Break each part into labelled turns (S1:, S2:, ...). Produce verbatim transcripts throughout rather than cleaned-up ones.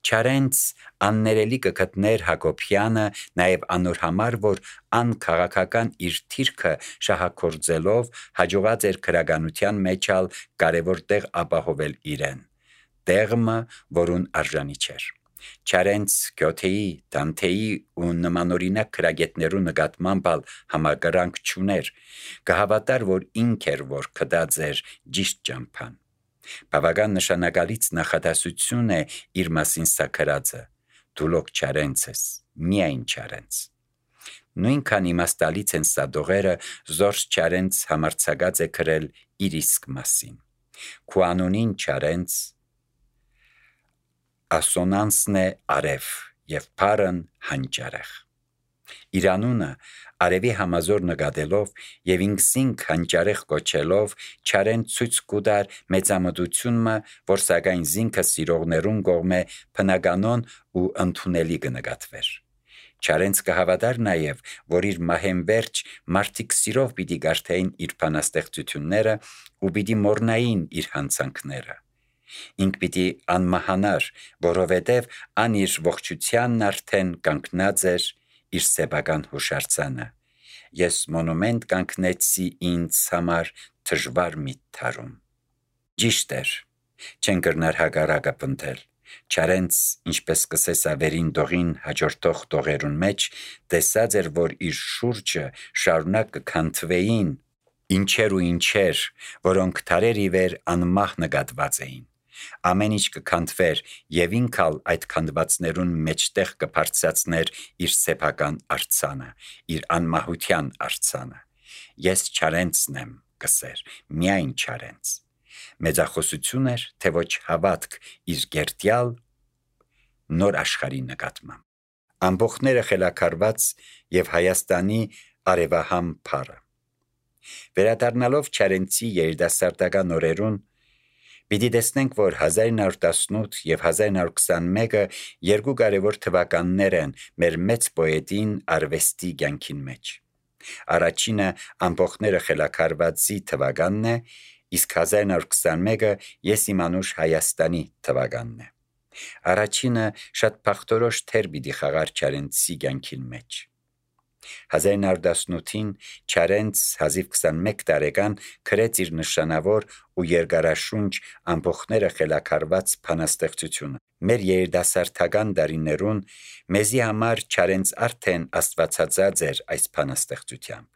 S1: Չարենց աններելի կգտներ Հակոբյանը նաև անոր համար, որ ան քաղաքական իր թիրքը շահագործելով հաջողած էր քրագանության մեջ ալ կարևոր տեղ ապահովել իրեն, տեղը, որուն արժանի չէր։ Չարենց Գյոթեի, Դանթեի ու նմանօրինակ քրագետներու նկատմամբ ալ համակրանք չուներ, կհավատար, որ ինք էր, որ կդած էր ճիշտ ճամփան։ Բավական նշանակալից նախադասություն է իր մասին սա գրածը. դու լոք Չարենց ես, միայն Չարենց։ Նույնքան իմաստալից են սա դողերը, զորս Չարենց համարձակած է գրել իր իսկ մասին։ Քու անունին Չարենց ասոնանսն է արև և փարն հանճարեղ։ Իր անունը արևի համազոր նկատելով և ինքսինք հանճարեղ կոչելով Չարեն ցույց կուտար մեծամտությունը, որ սակայն զինքը սիրողներուն կողմէ բնականon ու ընդունելի կնկատվեր։ Չարենց կհավատար նաև, որ իր մահեն վերջ մարդիկ սիրով պիտի կարդային իր բանաստեղծությունները ու պիտի մոռնային իր հանցանքները։ Ինք պիտի անմահանար, որովհետև ան իր ողջությանն արդեն կանգնած էր իր սեփական հուշարձանը։ Ես մոնումենտ կանգնեցի ինձ համար դժվար մի թարում։ Ճիշտ էր, չեն կրնար հակառակը պնդել։ Չարենց, ինչպես կսես ավերին դողին հաջորդող դողերուն մեջ, տեսած էր, որ իր շուրջը շարունակ կքանթվեին ինչեր ու ինչեր, որոնք թարեր ի վեր անմահ նկատված էին։ Ամեն ինչ կքանթվեր և ինք ալ այդ քանդվածներուն մեջտեղ կբարձրացներ իր սեփական արձանը, իր անմահության արձանը։ Ես Չարենցն եմ, կսեր, միայն Չարենց։ Մեծախոսություն էր, թե ոչ հավատք իր գերտյալ նոր աշխարհի նկատմամբ։ Ամբողջները խելաքարված եւ Հայաստանի արևահամ փառը։ Վերադառնալով Չարենցի երիտասարդական օրերուն, պիտի տեսնենք, որ հազար ինը հարյուր տասնութ եւ հազար ինը հարյուր քսանմեկը երկու կարևոր թվականներ են մեր մեծ պոետին արվեստի կյանքին մեջ։ Առաջինը ամբողջները խելաքարվածի թվականն է, իսկ հազար ինը հարյուր քսանմեկը ես իմանուշ Հայաստանի թվականն է։ Առաջինը շատ փախտորոշ թեր պիտի խաղար Չարենցի կյանքին մեջ։ հազար ինը հարյուր տասնութին Չարենց հազիվ քսանմեկ տարեկան գրեց իր նշանավոր ու երկարաշունչ ամբողջները խելաքարված բանաստեղծությունը։ Մեր երիտասարդական տարիներուն մեզի համար Չարենց արդեն աստվածածած էր այս բանաստեղծությամբ։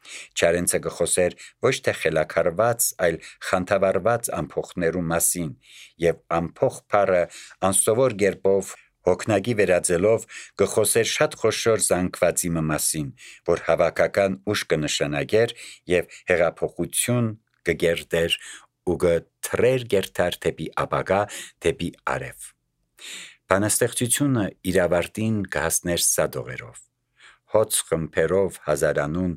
S1: Չարենցը կխոսեր ոչ թե խելաքարված, այլ խանդավառված ամփոխներու մասին, եւ ամփոխ բառը անսովոր կերպով հոգնակի վերածելով կխոսեր շատ խոշոր զանգվածի մասին, որ հավաքական ուժ կնշանակեր եւ հեղափոխություն կգերտեր ու կթռեր գերտար դեպի ապագա, դեպի արև։ Բանաստեղծությունը իր ավարտին կհասներ սա դողերով. հոծ խմբերով հազարանուն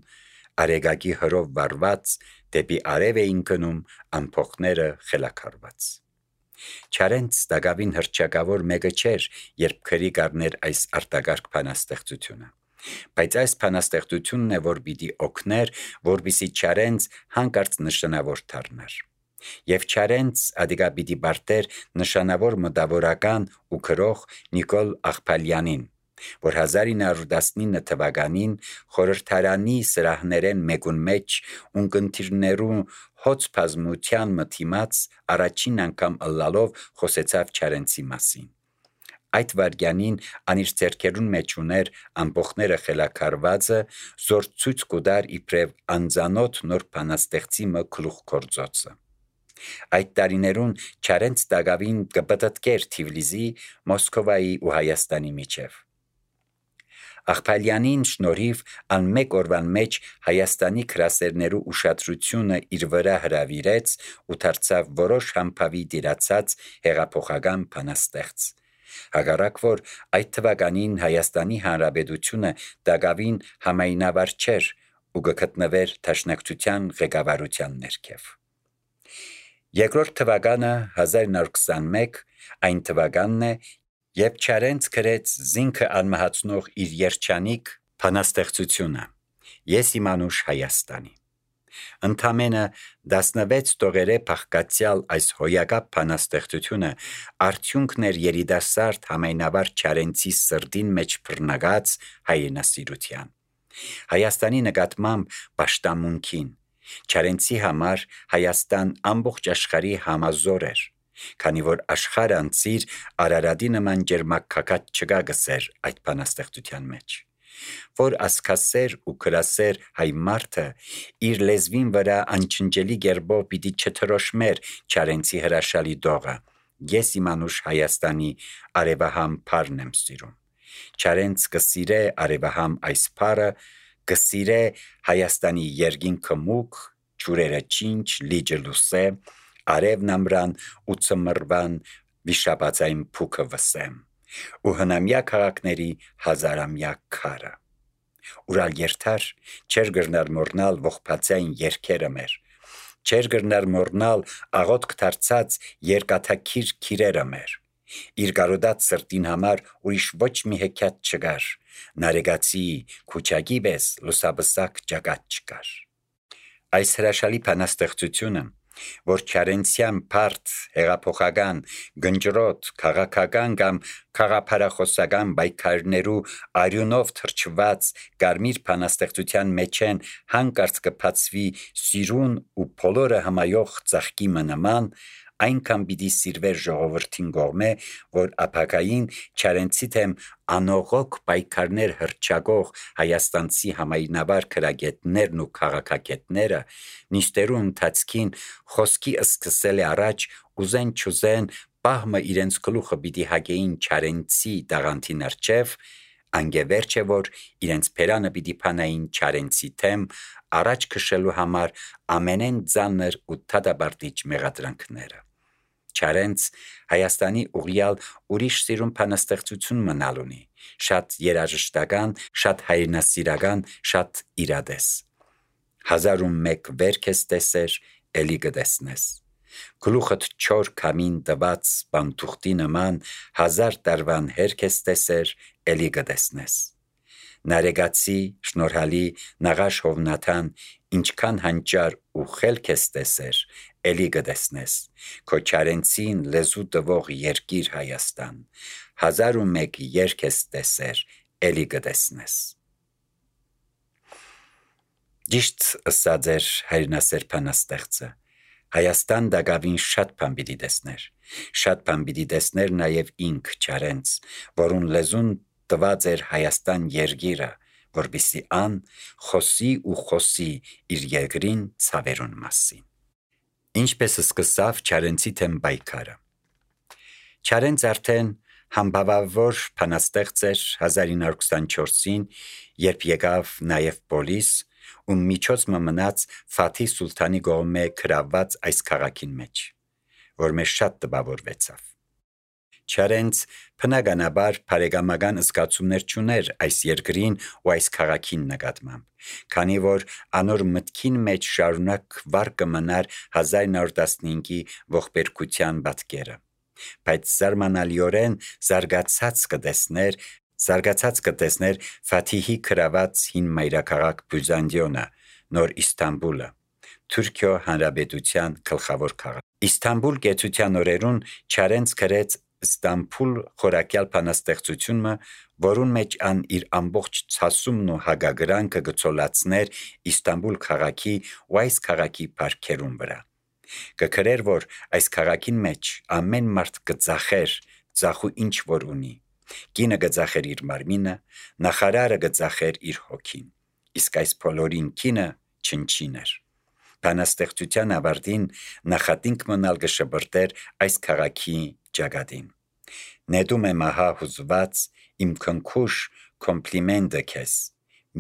S1: արեգակի հրով վարված դեպի արև էին գնում ամփոխները խելաքարված։ Չարենց դակավին հռչակավոր մեկը չէր, երբ քրի կառներ այս արտակարգ բանաստեղծությունը։ Բայց այս բանաստեղծությունն է, որ պիտի օգներ, որպեսզի Չարենց հանկարծ նշանավոր դառնար։ Եվ Չարենց ադիգա պիտի բարդեր նշանավոր մտավորական ու գրող Նիկոլ Աղբալյանին, որ հազար ինը հարյուր տասնինը թվականին խորհրդարանի սրահներեն մեկուն մեջ ունկնդիրներու հոծ բազմության մթիմաց առաջին անգամ ըլլալով խոսեցավ Չարենցի մասին։ Այդ վարքյանին ան իր ձեռքերուն մեջ ուներ ամբողջները խելաքարվածը, զոր ցույց կուտար իբրև անծանոթ նոր բանաստեղծի մը գլուխ գործոցը։ Այդ տարիներուն Չարենց դակավին կպտտկեր Թիֆլիսի, Մոսկովայի ու Հայաստանի միջև։ Աղբալյանին շնորհիվ ան մեկ օրվան մեջ Հայաստանի գրասերներու ուշադրությունը իր վրա հրավիրեց ու դարձավ որոշ համբավի դիրացած հեղափոխական բանաստեղծ։ Հակառակ որ այդ թվականին Հայաստանի Հանրապետությունը դակավին համայնավար չէր ու կգտնվեր դաշնակցության ղեկավարության ներքև։ Երկրորդ թվականը հազար ինը հարյուր քսանմեկ այն թվականն է, երբ Չարենց գրեց զինքը անմահացնող իր երջանիկ բանաստեղծությունը՝ Ես իմանուշ Հայաստանի։ Ընդամենը տասնվեց տողերը փախկացյալ այս հոյակապ բանաստեղծությունը արդյունքն էր երիտասարդ համայնավար Չարենցի սրտին մեջ բռնկած հայրենասիրության, Հայաստանի նկատմամբ պաշտամունքին, Չարենցի համար Հայաստան ամբողջ աշխարհի համազոր էր, քանի որ աշխարհ անցիր Արարատի նման ջերմակակած չկա գսեր այդ բանաստեղծության մեջ, որ ասքասեր ու քրասեր հայ մարդը իր լեզվին վրա անչնջելի գերբով պիտի չթրոշմեր Չարենցի հրաշալի դողը, ես իմանուշ Հայաստանի արևահամ փարն եմ սիրում, Չարենց կսիրե արևահամ այս փարը, կսիրե Հայաստանի երկինքը մուգ, ջուրերը չինչ, լիճը լուսե, արևն ամրան ու ծմրվան վիշապածային փուքը վսեմ, ու հնամյա քաղաքների հազարամյա քարը, ուրալ երթար չեր գրնար մորնալ ողբացային երկերը մեր, չեր գրնար մորնալ աղոտք դարձած երկաթակիր քիրերը մեր, իր գարոդած սրտին համար ուրիշ ոչ մի հեքիաթ չկար, նարեգացի քուչագի պես լուսաբսակ ճակատ չկար, այս հրաշալի բանաստեղծությունը, որ Չարենցյան բարդ, հեղափոխական, գնջրոտ, քաղաքական կամ քաղաքապարախոսական պայքարներու արյունով թրջված կարմիր բանաստեղծության մեջ են հանկարծ կբացվի սիրուն ու բոլորը հմայող ծաղկի նման, այնքան պիտի սիրվեր ժողովրդին կողմէ, որ ապագային Չարենցի թեմ անողոք պայքարներ հռչակող հայաստանցի համայնավար քրագետներն ու քաղաքագետները նիստերու ընթացքին խոսքի սկսել է առաջ ուզեն չուզեն պահմը իրենց գլուխը պիտի հագեին Չարենցի տաղանդի ներջև, անգևերջ է որ իրենց փերանը պիտի փանային Չարենցի թեմ առաջ քշելու համար ամենեն ծանր ու թադաբարտիչ մեղադրանքները, Չարենց Հայաստանի ուղիալ ուրիշ սիրուն բանաստեղծություն մնալ ունի, շատ երաժշտական, շատ հայրենասիրական, շատ իրադես, հազար ու մեկ վերք ես տեսեր, էլի կտեսնես, գլուխդ չոր քամին տված բանթուղթի նման հազար տարվան հերք ես տեսեր, էլի կտեսնես, նարեգացի, շնորհալի, նաղաշ Հովնաթան, ինչքան հանճար ու խելք ես տեսեր, էլի կտեսնես, քո Չարենցին լեզու տվող երկիր Հայաստան, հազար ու մեկ երկ ես տեսեր, էլի կտեսնես։ Ճիշտ ըսած էր հայրենասեր բանաստեղծը, Հայաստան դակավին շատ բան պիտի տեսներ, շատ բան պիտի տեսներ նաև ինք Չարենց, որուն լեզուն տված էր Հայաստան երգիրը, որպեսզի ան խոսի ու խոսի իր երկրին ցավերուն մասին։ Ինչպես սկսավ Չարենցի թեմ պայքարը։ Չարենց արդեն համբավավոր բանաստեղծ էր հազար ինը հարյուր քսանչորսին, երբ եկավ նաև պոլիս, ու միջոց մնաց Ֆաթի Սուլթանի կողմէ գրաված այս քաղաքին մեջ, որ մեզ շատ տպավորվեցավ։ Չարենց բնականաբար բարեկամական զգացումներ չուներ այս երկրին ու այս քաղաքին նկատմամբ, քանի որ անոր մտքին մեջ շարունակ վառ կմնար հազար ինը հարյուր տասնհինգի ողբերգության պատկերը, բայց զարմանալիորեն զարգացած կտեսներ, զարգացած կտեսներ Ֆաթիհի գրաված հին մայրաքաղաք Բյուզանդիոնը, նոր Իստանբուլը, Թուրքիո Հանրապետության գլխավոր քաղաք։ Իստանբուլ գեցության օրերուն Չարենց գրեց Ստամբուլ խորակյալ բանաստեղծությունը, որուն մեջ ան իր ամբողջ ցասումն ու հագագրանքը գծոլացներ Իստանբուլ քաղաքի ու այս քաղաքի բարքերուն վրա։ Կգրեր, որ այս քաղաքին մեջ ամեն մարդ կծախեր, ծախու ինչ որ ունի։ Կինը կծախեր իր մարմինը, նախարարը կծախեր իր հոգին, իսկ այս բոլորին կինը չնչին էր։ Բանաստեղծության ավարտին նախատինք մնալ կշպրտեր այս քաղաքի ճակատին։ Նետում եմ ահա հուզված իմ քնքուշ կոմպլիմենտը քեզ,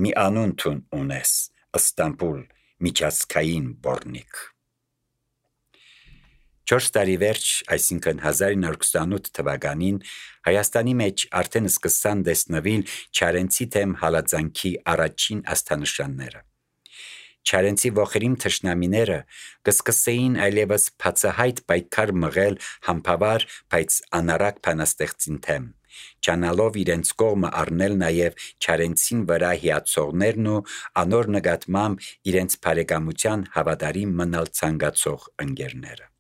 S1: մի անուն տուն ունես, Ստամբուլ, միջազգային բորնիկ։ Չորս տարի վերջ, այսինքն հազար ինը հարյուր քսանութ թվականին, Հայաստանի մեջ արդեն սկսան տեսնվել Չարենցի թեմ հալածանքի առաջին աստանշանները։ Չարենցի ողերիմ թշնամիները կսկսեին այլևս բացահայտ պայքար մղել համբավար, բայց անառակ բանաստեղծին թեմ, ճանալով իրենց կողմը առնել նաև Չարենցին վրա հիացողներն ու անոր նկատմամբ իրենց բարեկամության հավատարիմ մնալ ցանկացող ընկերները։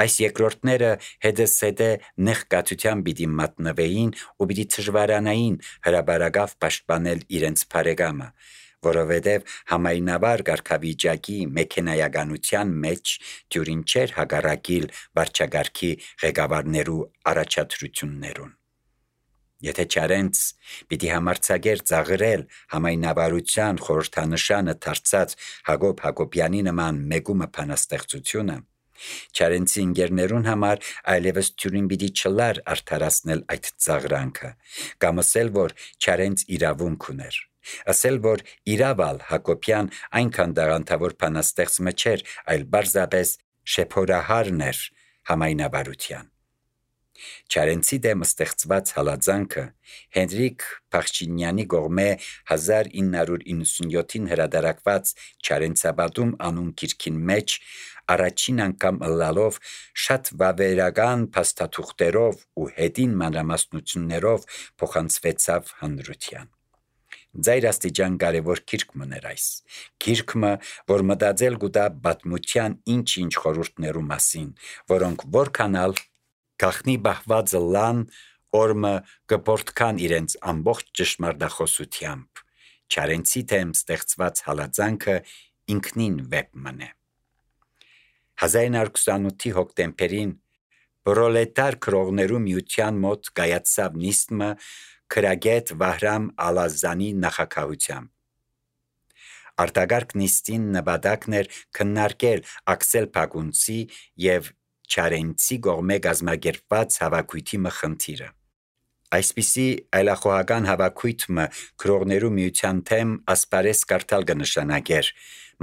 S1: Այս երկրորդները հետզհետե նեղ կաթության պիտի մատնվեին ու պիտի դժվարանային հրաբարակավ պաշտպանել իրենց բարեկամը, որովհետև համայնավար կարգավիճակի մեքենայականության մեջ դյուրին չէր հակառակիլ վարչագարքի ղեկավարներու առաջադրություններուն։ Եթե Չարենց պիտի համարձակեր ծաղրել համայնավարության խորհրդանշանը դարձած Հակոբ Հակոբյանի նման մեգումը բանաստեղծությունը, Չարենցի ընկերներուն համար այլևս դյուրին պիտի չլար արդարացնել այդ ծաղրանքը, կամ ասել, որ Չարենց իրավունք ուներ, ասել, որ իրավալ Հակոբյան այնքան տաղանդավոր բանաստեղծը չէր, այլ պարզապես շեփորահարն էր համայնավարության։ Չարենցի դեմ ստեղծված հալածանքը Հենրիկ Փախչինյանի կողմէ հազար ինը հարյուր իննսունյոթին հրատարակված Չարենցապատում անուն գիրքին մեջ առաջին անգամ ըլլալով շատ վավերական փաստաթուղթերով ու հետին մանրամասնություններով փոխանցվեցավ հանրության։ Ձայր աստիճան կարևոր գիրք մներ այս, գիրքը, որ մտածել կուտա պատմության ինչ-ինչ խորհուրդներու մասին, որոնք որքանալ գախնի բահված լան օրմը կպորտքան իրենց ամբողջ ճշմարտախոսությամբ, Չարենցի թեմ ստեղծված հալածանքը ինքնին վեպ մնե։ հազար ինը հարյուր քսանութի հոկտեմբերին Պրոլետար քրողներու միության մոտ կայացավ նիստը քրագետ Վահրամ Ալազանի նախագահությամբ։ Արտագարգ նիստին նպատակն էր քննարկել Աքսել Փագունցի եւ Չարենցի կողմէ կազմակերպված հավաքույթի խնդիրը։ Այսպիսի այլախոհական հավաքույթը քրողներու միության թեմ ասպարես կարդալ կնշանակեր,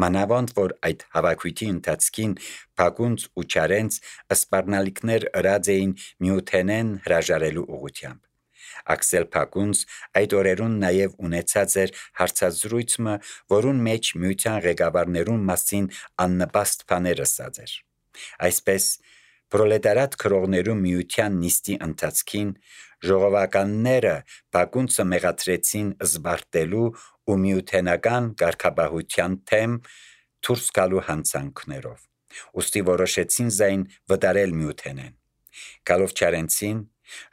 S1: մանավանդ որ այդ հավաքույթի ընթացքին Փագունց ու Չարենց սպառնալիքներ ըրած էին միութենեն հրաժարելու ուղղությամբ։ Աքսել Փագունց այդ օրերուն նաև ունեցած էր հարցազրույցը, որուն մեջ միության ղեկավարներուն մասին աննպաստ բաներ ասած էր։ Այսպես Պրոլետարատ քրողներու միության նիստի ընթացքին ժողովականները Փագունցը մեղադրեցին զբարտելու ու միութենական կարգապահության թեմ դուրս գալու հանցանքներով, ուստի որոշեցին զայն վտարել միութենեն։ Գալով Չարենցին,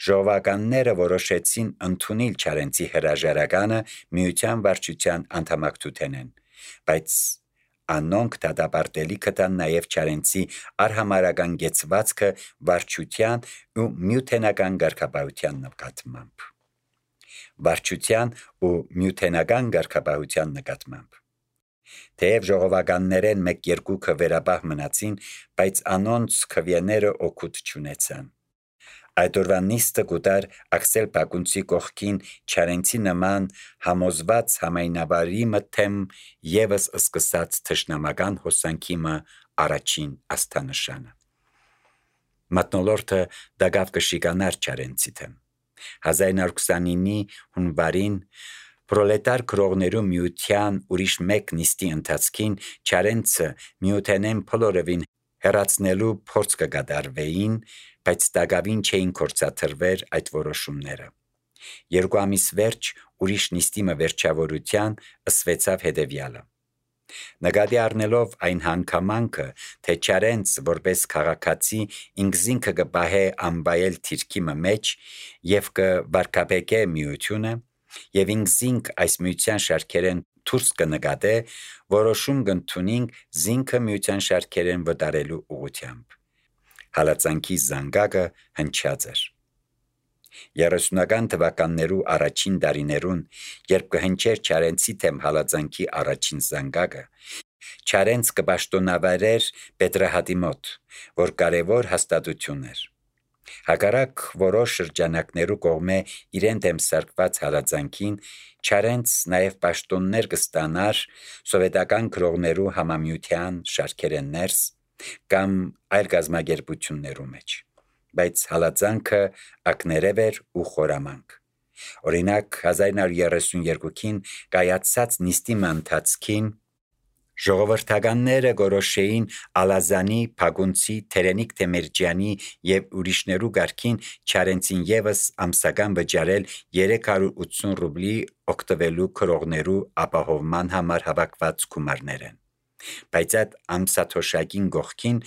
S1: ժողովականները որոշեցին ընդունել Չարենցի հրաժարականը միության վարչության անդամակցութենեն, բայց անոնք դատապարտելի կտան նաև Չարենցի արհամարական գեցվածքը վարչության ու միութենական կարգապահության նկատմամբ։ Վարչության ու միութենական կարգապահության նկատմամբ։ Թեև ժողովականներեն մեկ-երկուքը վերապահ մնացին, բայց անոնց քվեները օգուտ չունեցան։ Այդ օրվա նիստը կուտար Աքսել Փագունցի կողքին Չարենցի նման համոզված համայնավարի մթեմ եւս սկսած թշնամական հոսանքի մը առաջին աստանշանը։ Մատնոլորտը դակավ կշիկանար Չարենցի թեմ։ հազար ինը հարյուր քսանինի հունվարին Պրոլետար քրողներու միության ուրիշ մեկ նիստի ընթացքին Չարենցը միութենեն փլորովին հեռացնելու փորձ կկատարվեին, բայց դակավին չէին կործաթրվեր այդ որոշումները։ Երկու ամիս վերջ ուրիշ նիստի մը վերջավորության ըսվեցավ հետևյալը. Նկատի առնելով այն հանգամանքը, թե Չարենց որպես քաղաքացի ինքզինքը կպահե անվայել թիրքի մեջ եւ կվարկաբեկե միությունը, եւ ինքզինք այս միության շարքերեն դուրս կնկատե, որոշում կընդունենք զինքը միության շարքերեն վտարելու ուղղությամբ։ Հալածանքի զանգակը հնչած էր։ երեսունական թվականներու առաջին տարիներուն, երբ կհնչեր Չարենցի թեմ հալածանքի առաջին զանգակը, Չարենց կպաշտոնավարեր Պետրահատի մոտ, որ կարևոր հաստատություն էր։ Հակառակ որոշ շրջանակներու կողմէ իրեն դեմ սարկված հալածանքին, Չարենց նաև պաշտոններ կստանար սովետական քրողներու համամիության շարքերեն ներս կամ այլ գազམ་ագերբություններու մեջ, բայց հալածանքը ակներև էր ու խորամանկ։ Օրինակ հազար ինը հարյուր երեսունյոթին կայացած նիստի ընթացքին Ժողովրդականները գորոշեին Ալազանի, Փագունցի, Թերենիկ Թեմերջյանի եւ ուրիշներու գարքին Չարենցին եւս ամսական վճարել երեք հարյուր ութսուն ռուբլի օգտվելու քրողներու ապահովման համար հավաքված գումարներեն։ Բայց այդ ամսաթոշակին գողքին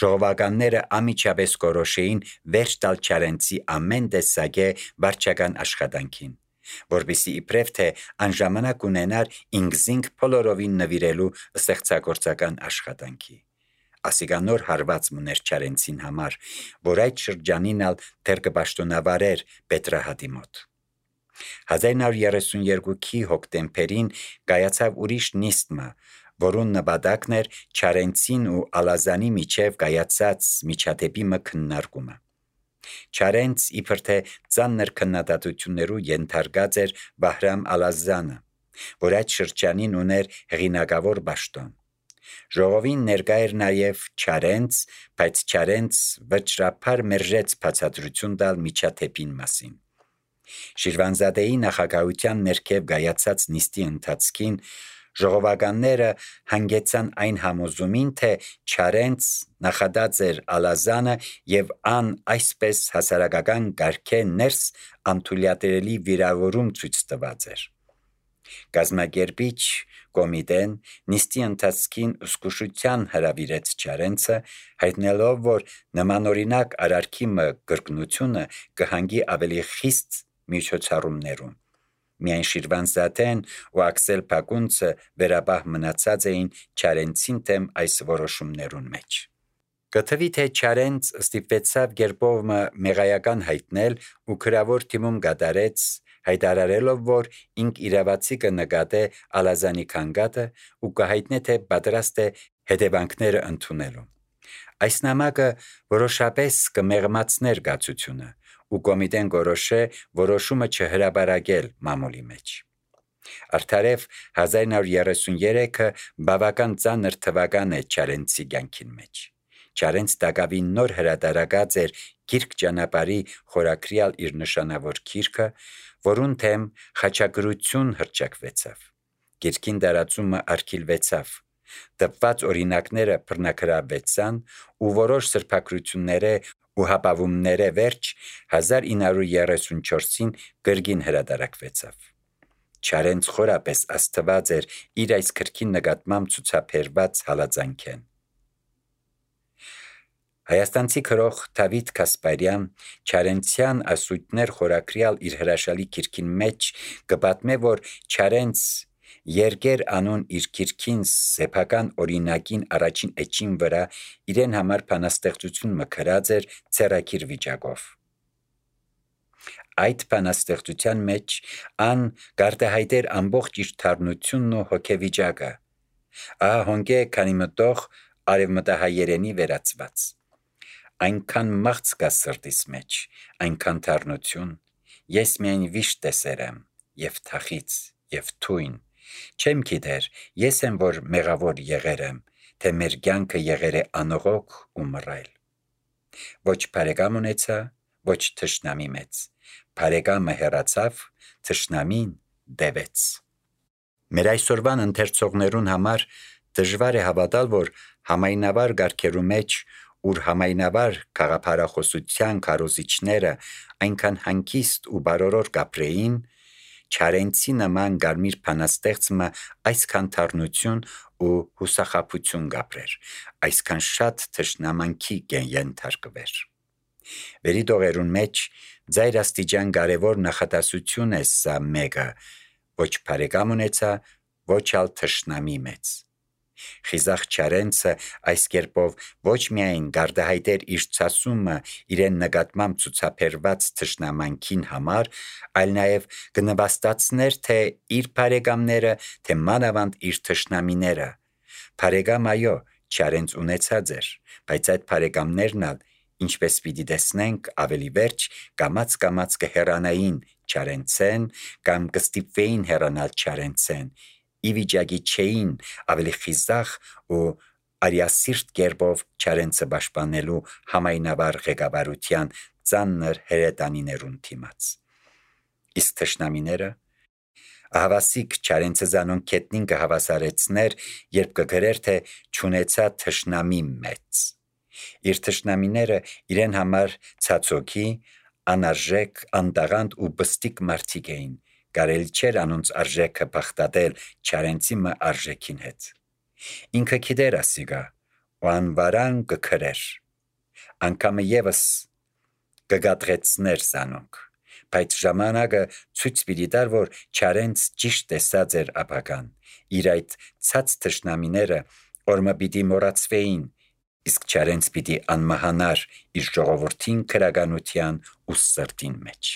S1: ժողովականները ամիջապես գորոշեին վերջ տալ Չարենցի ամեն տեսակե վարչական աշխատանքին, որպեսզի իբրև թե անժամանակ ունենար ինքզինք բոլորովին նվիրելու ստեղծագործական աշխատանքի։ Ասիկա նոր հարված մներ Չարենցին համար, որ այդ շրջանին ալ դեռ կպաշտոնավարեր Պետրահատի մոտ։ հազար նոր երեսունյերկուքի հոկտեմբերին կայացավ ուրիշ նիստմը, որուն նպատակն էր Չարենցին ու Ալազանի միջև կայացած միջադեպի մը քննարկումը։ Չարենց իբր թե ծանր քննադատություններու ենթարկած էր Բահրամ Ալազանը, որ այդ շրջանին ուներ հեղինակավոր պաշտոն։ Ժողովին ներկա էր նաև Չարենց, բայց Չարենց վճռապար մերժեց բացատրություն տալ միջադեպին մասին։ Շիրվանզադեի նախագահության ներքև կայացած նիստի ընթացքին ժողովականները հանգեցան այն համոզումին, թե Չարենց նախադած էր Ալազանը եւ ան այսպես հասարակական գարքե ներս անթույլատրելի վիրավորում ցույց տված էր։ Գազམ་ակերպիչ կոմիտեն նիստի ընթացքին զսկուշության հրավիրեց Չարենցը, հայտնելով, որ նմանօրինակ արարքի մը կրկնությունը կհանգի ավելի խիստ միջոցառումներուն։ Միայն Շիրվանզադեն ու Աքսել Փագունցը վերաբահ մնացած էին Չարենցին դեմ այս որոշումներուն մեջ։ Կթվի թե Չարենց ստիպվեցավ գերբովը մեղայական հայտնել ու քրավոր թիմում գդարեց, հայտարարելով, որ ինք իրավացի կնկատե Ալազանի քանգատը ու կհայտնե թե պատրաստ է հետևանքները ընդունելու։ Այս նամակը որոշապես կմեղմացներ գացությունը ու կոմիտեն գորոշե որոշումը չհրաբարակել մամուլի մեջ։ Արդարև հազար նոր երեսունյերեքը բավական ծանր թվական է Չարենցի կյանքին մեջ։ Չարենց տակավին նոր հրատարակած էր Գիրք ճանապարհի խորակրյալ իր նշանավոր գիրքը, որուն թեմ խաչագրություն հռչակվեցավ։ Գիրքին դարածումը արգելվեցավ։ Տպված օրինակները բռնագրավվեցան ու որոշ սրբագրությունները ու հապավումները վերջ հազար ինը հարյուր երեսունչորսին գրգին հրատարակվեցավ։ Չարենց խորապես աստված էր իր այս գրքի նկատմամբ ցուցաբերված հալածանքեն։ Հայաստանցի քրող Դավիթ Կասպարյան Չարենցյան ասույթներ խորակրյալ իր հրաշալի գիրքին մեջ կպատմե, որ Չարենց Երգեր անուն իր գիրքին սեփական օրինակին առաջին էջին վրա իրեն համար բանաստեղծություն մկրած էր ցերակիր վիճակով։ Այդ բանաստեղծության մեջ ան գարտահայտեր ամբողջ իր թարմությունն ու հոգեվիճակը։ Ահա հոնկե քանի մտող արևմտահայերենի վերածված։ Այնքան մաղց կա սրտիս մեջ, այնքան թարնություն, ես միայն վիշտ տեսել եմ, եւ թախից, եւ թույն, չեմ գիտեր, ես եմ որ մեղավոր եղեր եմ, թե մեր կյանքը եղեր է անողոք ու մռայլ։ Ոչ բարեկամ ունեցա, ոչ թշնամի մեծ, բարեկամը հեռացավ, թշնամին դևեց։ Մեր այսօրվան ընթերցողներուն համար դժվար է հավատալ, որ համայնավար գարքերու մեջ, ուր համայնավար գաղափարախոսության քարոզիչները այնքան հանգիստ ու բարորոր կապրեին, Չարենցի նման գարմիր բանաստեղծը այսքան թարնություն ու հուսախաբություն կապրեր, այսքան շատ թշնամանքի ենթարկվեր։ Վերի տողերուն մեջ ձայր աստիճան կարևոր նախադասություն է սա մեկը, ոչ բարեկամ ունեցա, ոչ ալ թշնամի մեծ։ Խիզախ Չարենցը այս կերպով ոչ միայն գարտահայտեր իր ցասումը իրեն նկատմամբ ցուցաբերված թշնամանքին համար, այլ նաև կնվաստացներ թե իր բարեկամները, թե մանավանդ իր թշնամիները։ Բարեկամ այո, Չարենց ունեցած էր, բայց այդ բարեկամներն ալ, ինչպես պիտի տեսնենք ավելի վերջ, կամաց-կամաց կհեռանային Չարենցեն կամ կստիպվեին հեռանալ Չարենցեն, ի վիճակի չէին ավելի խիզախ ու արիասիրտ կերպով Չարենցը պաշտպանելու համայնավար ղեկավարության ծանր հրետանիներուն դիմաց։ Իսկ թշնամիները, Ահավասիկ չարենցը զանոն կետնին կհավասարեցներ, երբ կգրեր, թե չունեցա թշնամի մեծ։ Իր թշնամիները իրեն համար ցածոքի, անարժեք, անդաղանդ ու բստիկ մարդիկ էին, կարելի չէր անոնց արժեքը բախտատել չարենցի մը արժեքին հետ։ Ինքը գիտեր ասիգա, ու անվարան կքրեր, անգամը ևս կգատրեցներ զանոնք, բայց ժամանակը ցույց պիտի տար, որ չարենց ճիշտ տեսած էր ապագան, իր այդ ցած թշնամիները օրմը պիտի մոռացվեին, իսկ չարենց պիտի անմահանար իր ժողովրդին քրագանության ու սրտին մեջ։